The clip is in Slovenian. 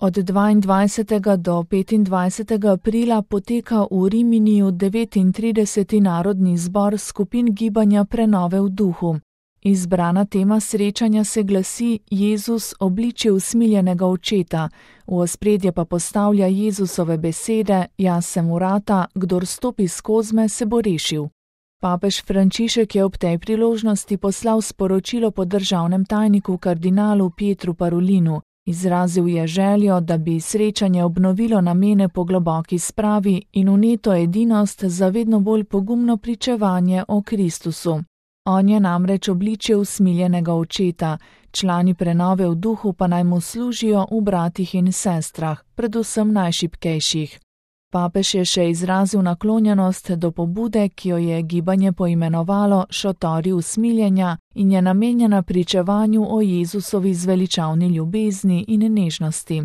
Od 22. do 25. aprila poteka v Riminiju 39. narodni zbor skupin gibanja Prenove v duhu. Izbrana tema srečanja se glasi Jezus obličje usmiljenega očeta, v ospredje pa postavlja Jezusove besede: Jaz sem vrata, kdor stopi skozi me, se bo rešil. Papež Frančišek je ob tej priložnosti poslal sporočilo po državnem tajniku kardinalu Pietru Parolinu. Izrazil je željo, da bi srečanje obnovilo namene po globoki spravi in vneto edinost za vedno bolj pogumno pričevanje o Kristusu. On je namreč obličje usmiljenega očeta, člani Prenove v duhu pa naj mu služijo v bratih in sestrah, predvsem najšibkejših. Papež je še izrazil naklonjenost do pobude, ki jo je gibanje poimenovalo Šotori usmiljenja in je namenjena pričevanju o Jezusovi zveličavni ljubezni in nežnosti.